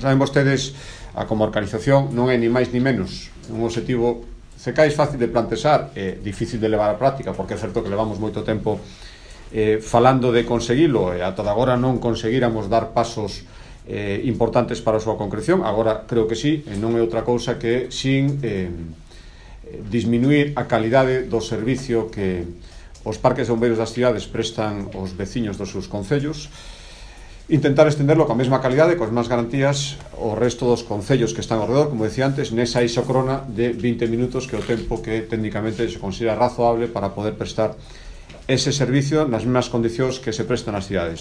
saben vostedes, a comarcalización non é ni máis ni menos un objetivo CECAIS fácil de plantexar, difícil de levar á práctica, porque é certo que levamos moito tempo falando de conseguilo, e ata agora non conseguíramos dar pasos importantes para a súa concreción. Agora creo que sí, e non é outra cousa que sin disminuir a calidade do servicio que os parques de bombeiros das cidades prestan aos veciños dos seus concellos, intentar estenderlo coa mesma calidade, coas máis garantías ao resto dos concellos que están ao redor, como decía antes, nesa isócrona de 20 minutos, que é o tempo que técnicamente se considera razoable para poder prestar ese servicio nas mesmas condicións que se prestan nas cidades.